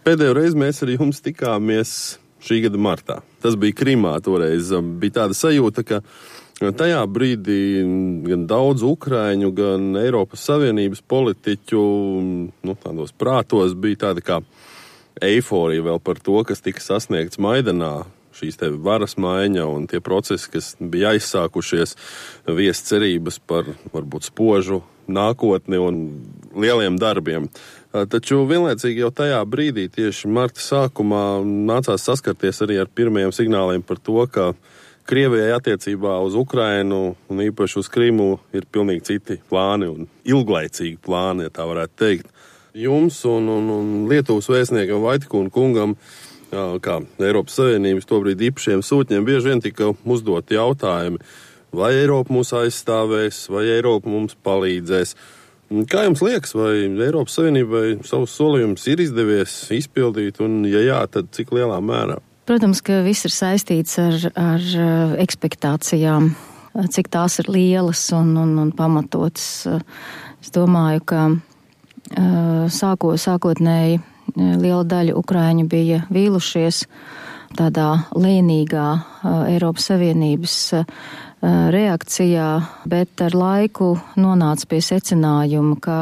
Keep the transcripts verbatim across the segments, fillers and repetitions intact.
Pēdējo reizi mēs ar jums tikāmies šī gada martā. Tas bija Krimā toreiz. Bija tāda sajūta, ka tajā brīdī gan daudz ukraiņu, gan Eiropas Savienības politiķu nu, tādos prātos bija tāda kā eiforija vēl par to, kas tika sasniegts Maidanā. Šīs te varas maiņa un tie procesi, kas bija aizsākušies, viest cerības par varbūt spožu nākotni un lieliem darbiem. Taču vienlaicīgi jau tajā brīdī, tieši marta sākumā, nācās saskarties arī ar pirmajiem signāliem par to, ka Krievijai attiecībā uz Ukrainu un īpaši uz Krimu ir pilnīgi citi plāni un ilglaicīgi plāni, ja tā varētu teikt. Jums un, un, un Lietuvas vēstniekam Vaitikūna kungam, kā Eiropas Savienības tobrīd īpašiem sūtņiem, bieži vien tika uzdot jautājumi, vai Eiropa mūs aizstāvēs, vai Eiropa mums palīdzēs. Kā jums liekas, vai Eiropas Savienībai savus solījumus ir izdevies izpildīt, un ja jā, tad cik lielā mērā? Protams, ka viss ir saistīts ar, ar ekspektācijām, cik tās ir lielas un, un, un pamatotas. Es domāju, ka sāko, sākotnēji liela daļa ukraiņu bija vīlušies tādā lēnīgā Eiropas Savienības reakcijā, bet ar laiku nonāca pie secinājuma, ka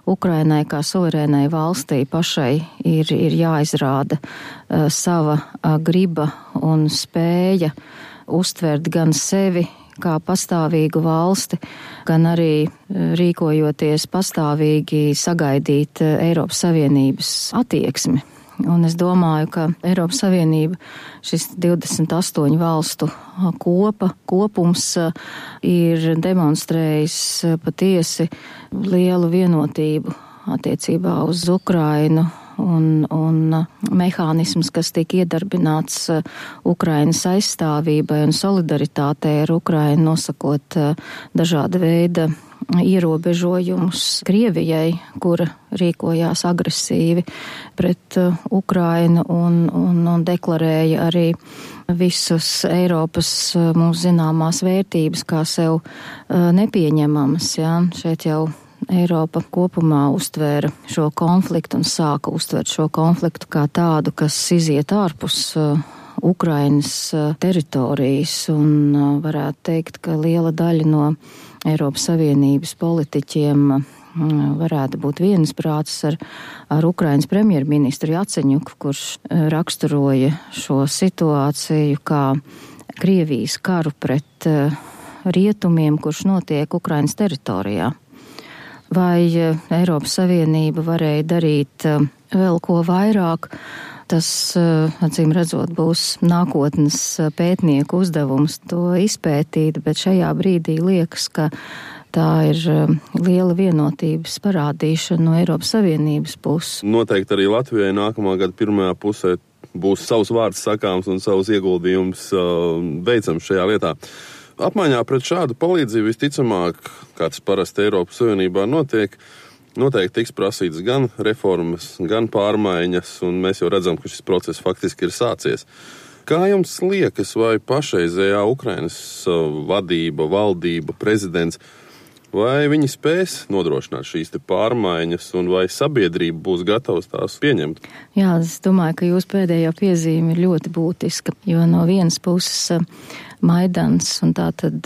Ukrainai kā suverēnai valstī pašai ir, ir jāizrāda uh, sava uh, griba un spēja uztvert gan sevi kā pastāvīgu valsti, gan arī uh, rīkojoties pastāvīgi sagaidīt uh, Eiropas Savienības attieksmi. Un es domāju, ka Eiropas Savienība, šis divdesmit astoņu valstu kopa, kopums ir demonstrējis patiesi lielu vienotību attiecībā uz Ukrainu un, un mehānisms, kas tika iedarbināts Ukrainas aizstāvībai un solidaritātei ar Ukrainu, nosakot dažāda veida ierobežojumus Krievijai, kura rīkojās agresīvi pret Ukrainu un, un, un deklarēja arī visus Eiropas mums zināmās vērtības kā sev nepieņemamas. Ja? Šeit jau Eiropa kopumā uztvēra šo konfliktu un sāka uztvērt šo konfliktu kā tādu, kas iziet ārpus Ukrainas teritorijas, un varētu teikt, ka liela daļa no Eiropas Savienības politiķiem varētu būt viensprātis ar, ar Ukrainas premjerministru Jaceņuku, kurš raksturoja šo situāciju kā Krievijas karu pret rietumiem, kurš notiek Ukrainas teritorijā. Vai Eiropas Savienība varēja darīt vēl ko vairāk? Tas, acīm redzot, būs nākotnes pētnieku uzdevums to izpētīt, bet šajā brīdī liekas, ka tā ir liela vienotības parādīšana no Eiropas Savienības puses. Noteikti arī Latvijai nākamā gada pirmajā pusē būs savs vārds sakāms un savs ieguldījums veicams šajā lietā. Apmaiņā pret šādu palīdzību visticamāk, kā tas parasti Eiropas Savienībā notiek, noteikti tiks prasīts gan reformas, gan pārmaiņas, un mēs jau redzam, ka šis process faktiski ir sācies. Kā jums liekas, vai pašreizējā Ukrainas vadība, valdība, prezidents, vai viņi spēs nodrošināt šīs te pārmaiņas, un vai sabiedrība būs gatavs tās pieņemt? Jā, es domāju, ka jūsu pēdējā piezīme ir ļoti būtiska, jo no vienas puses Maidans un tā tad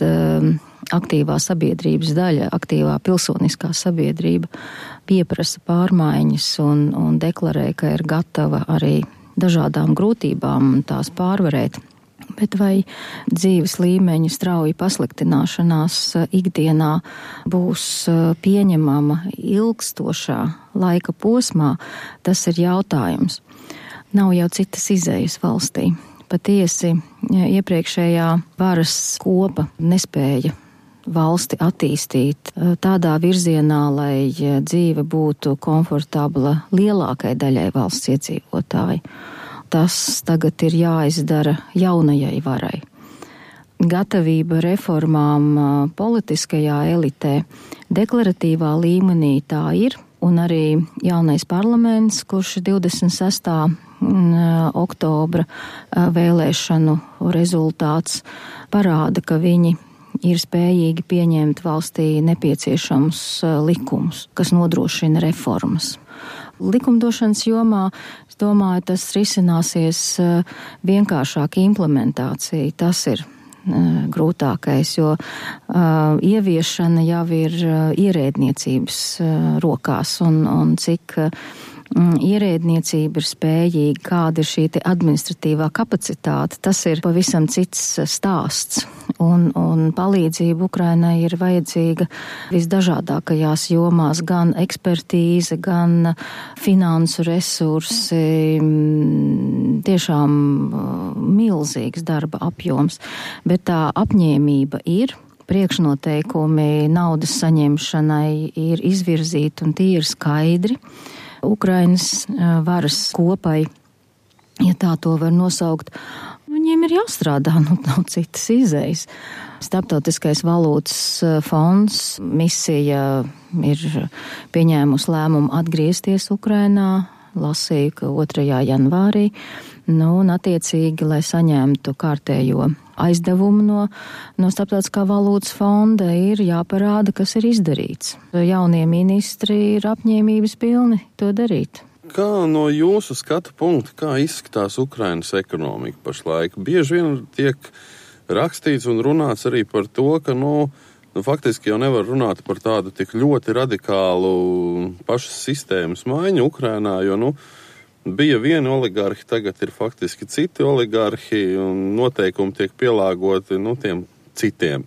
aktīvā sabiedrības daļa, aktīvā pilsoniskā sabiedrība pieprasa pārmaiņas un, un deklarē, ka ir gatava arī dažādām grūtībām tās pārvarēt. Bet vai dzīves līmeņa strauja pasliktināšanās ikdienā būs pieņemama ilgstošā laika posmā, tas ir jautājums. Nav jau citas izējas valstī. Patiesi iepriekšējā varas kopa nespēja valsti attīstīt tādā virzienā, lai dzīve būtu komfortabla lielākai daļai valsts iedzīvotāji. Tas tagad ir jāizdara jaunajai varai. Gatavība reformām politiskajā elitē deklaratīvā līmenī tā ir, un arī jaunais parlaments, kurš divdesmit sestā oktobra vēlēšanu rezultāts parāda, ka viņi ir spējīgi pieņemt valstī nepieciešamus likumus, kas nodrošina reformas. Likumdošanas jomā, es domāju, tas risināsies vienkāršāk implementācija. Tas ir grūtākais, jo uh, ieviešana jau ir uh, ierēdniecības uh, rokās un, un cik uh, ierēdniecība ir spējīga, kāda ir šī te administratīvā kapacitāte, tas ir pavisam cits stāsts. Un, un palīdzība Ukrainai ir vajadzīga visdažādākajās jomās, gan ekspertīze, gan finansu resursi, tiešām milzīgs darba apjoms, bet tā apņēmība ir. Priekšnoteikumi naudas saņemšanai ir izvirzīti un tie ir skaidri. Ukrainas varas kopai, ja tā to var nosaukt, viņiem ir jāstrādā, nu nav citas izējas. Starptautiskais valūtas fonds misija ir pieņēmusi lēmumu atgriezties Ukrainā, lasīju, ka otrajā janvārī, nu un attiecīgi, lai saņemtu kārtējo aizdevumu no, no Starptautiskā valūtas fonda, ir jāparāda, kas ir izdarīts. Jaunie ministri ir apņēmības pilni to darīt. Kā no jūsu skatu punkta, kā izskatās Ukrainas ekonomika pašlaik? Bieži vien tiek rakstīts un runāts arī par to, ka, nu, nu faktiski jau nevar runāt par tādu tik ļoti radikālu pašas sistēmas maiņu Ukrainā, jo, nu, bija vieni oligarhi, tagad ir faktiski citi oligarhi un noteikumi tiek pielāgoti, nu, tiem citiem.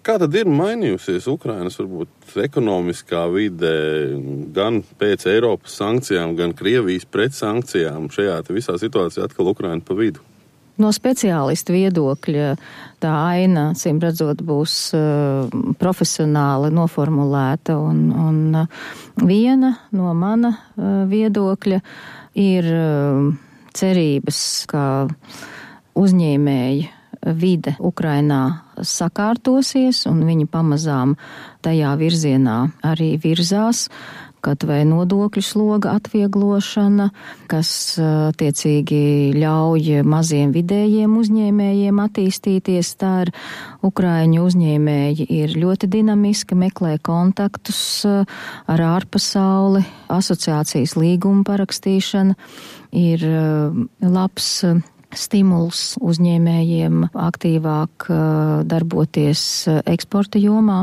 Kā tad ir mainījusies Ukrainas, varbūt, ekonomiskā vide gan pēc Eiropas sankcijām, gan Krievijas pret sankcijām? Šajā visā situācijā atkal Ukraina pa vidu. No speciālistu viedokļa tā aina, cim redzot, būs uh, profesionāli noformulēta, un, un uh, viena no mana uh, viedokļa ir uh, cerības, ka uzņēmēji vide Ukrainā sakārtosies, un viņi pamazām tajā virzienā arī virzās, kaut vai nodokļu sloga atvieglošana, kas tiecīgi ļauj maziem vidējiem uzņēmējiem attīstīties. Tā ir Ukraiņu uzņēmēji ir ļoti dinamiski, meklē kontaktus ar ārpasauli, asociācijas līguma parakstīšana ir labs stimuls uzņēmējiem aktīvāk darboties eksporta jomā.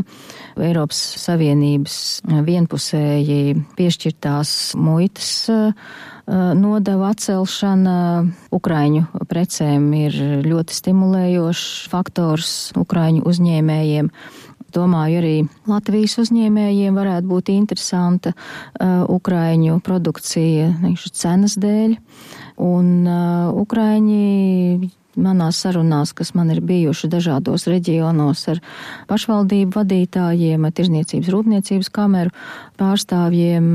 Eiropas Savienības vienpusēji piešķirtās muitas nodevu atcelšana Ukraiņu precēm ir ļoti stimulējošs faktors Ukraiņu uzņēmējiem. Domāju, arī Latvijas uzņēmējiem varētu būt interesanta uh, Ukraiņu produkcija cenas dēļ. Un uh, Ukraiņi manās sarunās, kas man ir bijuši dažādos reģionos ar pašvaldību vadītājiem, ar tirzniecības rūpniecības kameru pārstāvjiem,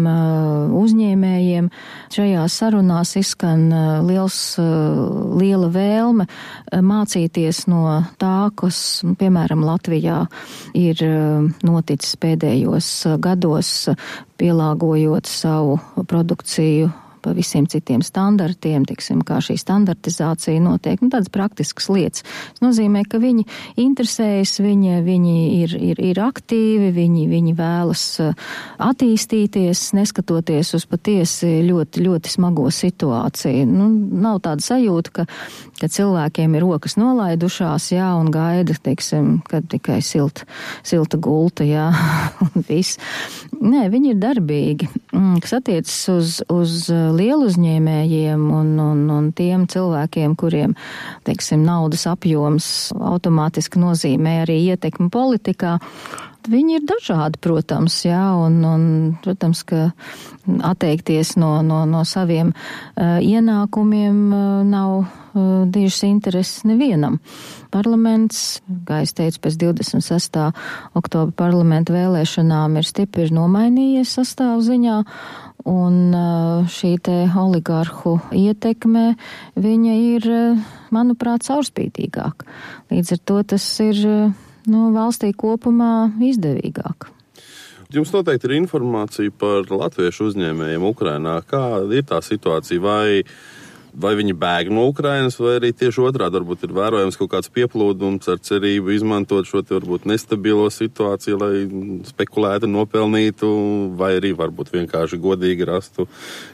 uzņēmējiem, šajās sarunās izskan liels, liela vēlme mācīties no tā, kas, piemēram, Latvijā ir noticis pēdējos gados, pielāgojot savu produkciju pa visiem citiem standartiem, tiksim, kā šī standartizācija notiek, nu tādas praktiskas lietas. Tas nozīmē, ka viņi interesējas, viņi, viņi ir, ir, ir aktīvi, viņi, viņi vēlas attīstīties, neskatoties uz patiesi ļoti, ļoti smago situāciju. Nu, nav tāda sajūta, ka, ka cilvēkiem ir rokas nolaidušās, jā, un gaida, teiksim, kad tikai silta, silta gulta, jā, un viss. Nē, viņi ir darbīgi. Kas attiecas uz, uz lielu uzņēmējiem un, un, un tiem cilvēkiem, kuriem, teiksim, naudas apjoms automātiski nozīmē arī ietekmi politikā, viņi ir dažādi, protams, jā, un, un protams, ka atteikties no, no, no saviem uh, ienākumiem uh, nav uh, dižas intereses nevienam. Parlaments, kā es teicu, pēc divdesmit sestā oktobra parlamenta vēlēšanām ir stipri nomainījies sastāvziņā, un uh, šī te oligarhu ietekme, viņa ir, uh, manuprāt, caurspīdīgāka. Līdz ar to tas ir uh, nu, valstī kopumā izdevīgāk. Jums noteikti ir informācija par latviešu uzņēmējiem Ukrainā. Kā ir tā situācija? Vai Vai viņi bēg no Ukrainas, vai arī tieši otrādi varbūt ir vērojams kaut kāds pieplūdums ar cerību izmantot šo te varbūt nestabilo situāciju, lai spekulētu, nopelnītu, vai arī varbūt vienkārši godīgi rastu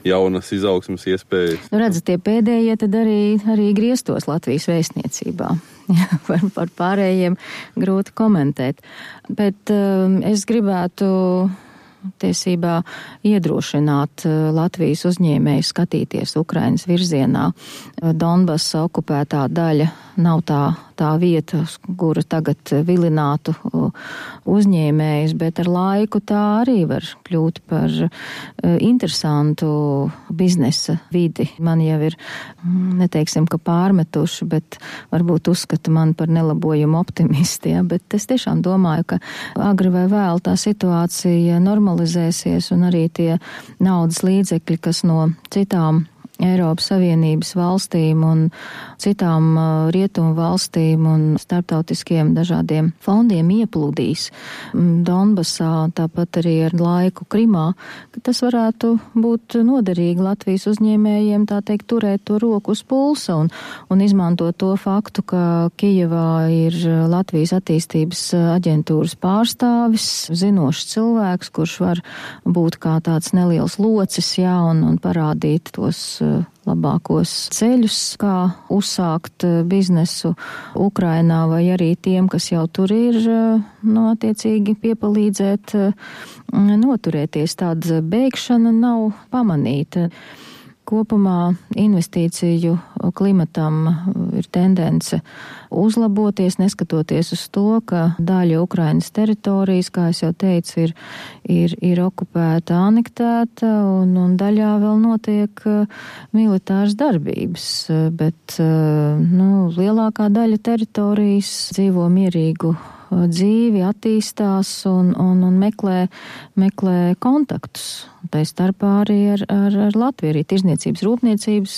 jaunas izaugsmes iespējas? Nu, redzat, tie pēdējie tad arī, arī grieztos Latvijas vēstniecībā. par, par pārējiem grūti komentēt. Bet um, es gribētu tiesībā iedrošināt Latvijas uzņēmējus skatīties Ukrainas virzienā. Donbasa okupētā daļa nav tā, tā vieta, kura tagad vilinātu uzņēmējus, bet ar laiku tā arī var kļūt par interesantu biznesa vidi. Man jau ir, neteiksim, ka pārmetuši, bet varbūt uzskata man par nelabojumu optimisti, ja? Bet es tiešām domāju, ka agri vai vēl tā situācija normalizēsies un arī tie naudas līdzekļi, kas no citām Eiropas Savienības valstīm un citām rietumu valstīm un starptautiskiem dažādiem fondiem ieplūdīs Donbasā, tāpat arī ar laiku Krimā, ka tas varētu būt noderīgi Latvijas uzņēmējiem, tā teikt, turēt to roku uz pulsa un, un izmantot to faktu, ka Kijevā ir Latvijas attīstības aģentūras pārstāvis, zinošs cilvēks, kurš var būt kā tāds neliels locis, jā, un, un parādīt tos labākos ceļus, kā uzsākt biznesu Ukrainā, vai arī tiem, kas jau tur ir, no attiecīgi piepalīdzēt noturēties. Tāda bēgšana nav pamanīta. Kopumā investīciju klimatam ir tendence uzlaboties, neskatoties uz to, ka daļa Ukrainas teritorijas, kā es jau teicu, ir, ir, ir okupēta, anektēta, un, un daļā vēl notiek militāras darbības. Bet nu, lielākā daļa teritorijas dzīvo mierīgu dzīvi, attīstās un, un, un meklē, meklē kontaktus. Tā starpā arī ar, ar, ar Latviju, arī tirzniecības rūpniecības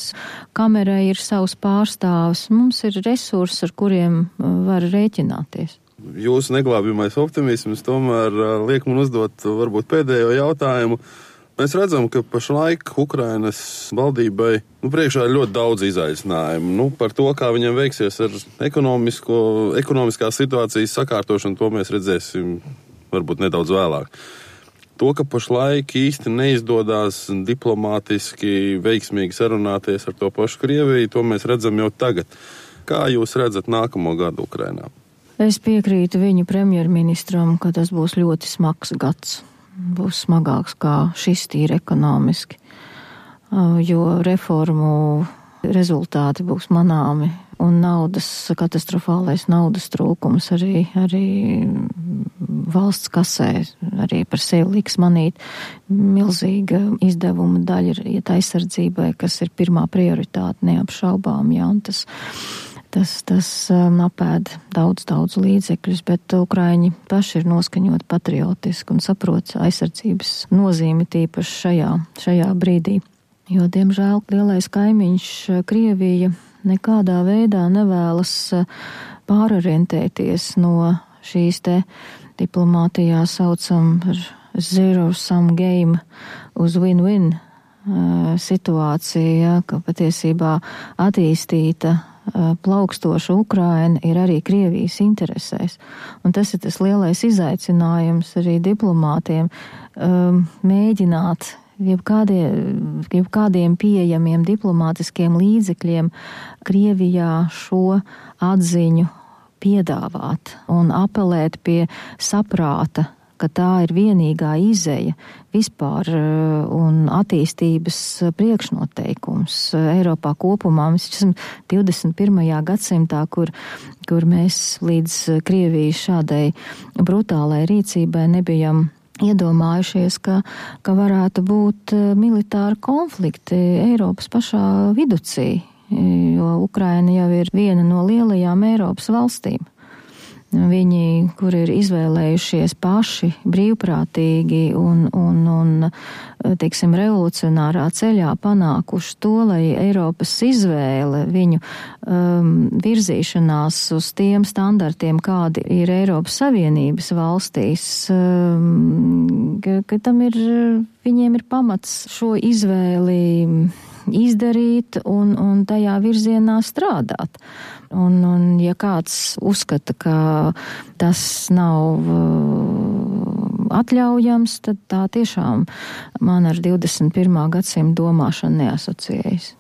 kamerai ir savs pārstāvs. Mums ir resursi, ar kuriem var rēķināties. Jūsu neglābjamais optimisms tomēr liek man uzdot varbūt pēdējo jautājumu. Mēs redzam, ka pašlaik Ukrainas valdībai nu, priekšā ir ļoti daudz izaicinājumu. Nu, par to, kā viņam veiksies ar ekonomisko, ekonomiskās situācijas sakārtošanu, to mēs redzēsim varbūt nedaudz vēlāk. To, ka pašlaik īsti neizdodas diplomātiski veiksmīgi sarunāties ar to pašu Krieviju, to mēs redzam jau tagad. Kā jūs redzat nākamo gadu Ukrainā? Es piekrītu viņu premjerministram, ka tas būs ļoti smags gads. Būs smagāks kā šis tīri ekonomiski, jo reformu rezultāti būs manāmi un naudas, katastrofālais naudas trūkums arī, arī valsts kasē, arī par sevi liks manīt milzīga izdevuma daļa ir iet aizsardzībai, kas ir pirmā prioritāte neapšaubām, jā, un tas Tas, tas um, apēd daudz, daudz līdzekļus, bet Ukraiņi paši ir noskaņoti patriotiski un saprot aizsardzības nozīmi tīpaši šajā, šajā brīdī. Jo, diemžēl, lielais kaimiņš Krievija nekādā veidā nevēlas pārorientēties no šīs te diplomātijā saucam par zero sum game uz win-win situācija, ka patiesībā attīstīta plaukstoša Ukraina ir arī Krievijas interesēs. Un tas ir tas lielais izaicinājums arī diplomātiem um, mēģināt jebkādiem, jebkādiem pieejamiem diplomātiskiem līdzekļiem Krievijā šo atziņu piedāvāt un apelēt pie saprāta, ka tā ir vienīgā izeja vispār un attīstības priekšnoteikums Eiropā kopumā. Mēs esam divdesmit pirmajā gadsimtā, kur, kur mēs līdz Krievijas šādai brutālai rīcībai nebijam iedomājušies, ka, ka varētu būt militāri konflikti Eiropas pašā viducī, jo Ukraina jau ir viena no lielajām Eiropas valstīm. Viņi, kur ir izvēlējušies paši brīvprātīgi un, un, un teiksim, revolucionārā ceļā panākuši to, lai Eiropas izvēle viņu um, virzīšanās uz tiem standartiem, kādi ir Eiropas Savienības valstīs, um, ka, ka tam ir, viņiem ir pamats šo izvēli izdarīt un, un tajā virzienā strādāt. Un, un ja kāds uzskata, ka tas nav atļaujams, tad tā tiešām man ar divdesmit pirmā gadsimta domāšanu neasociējas.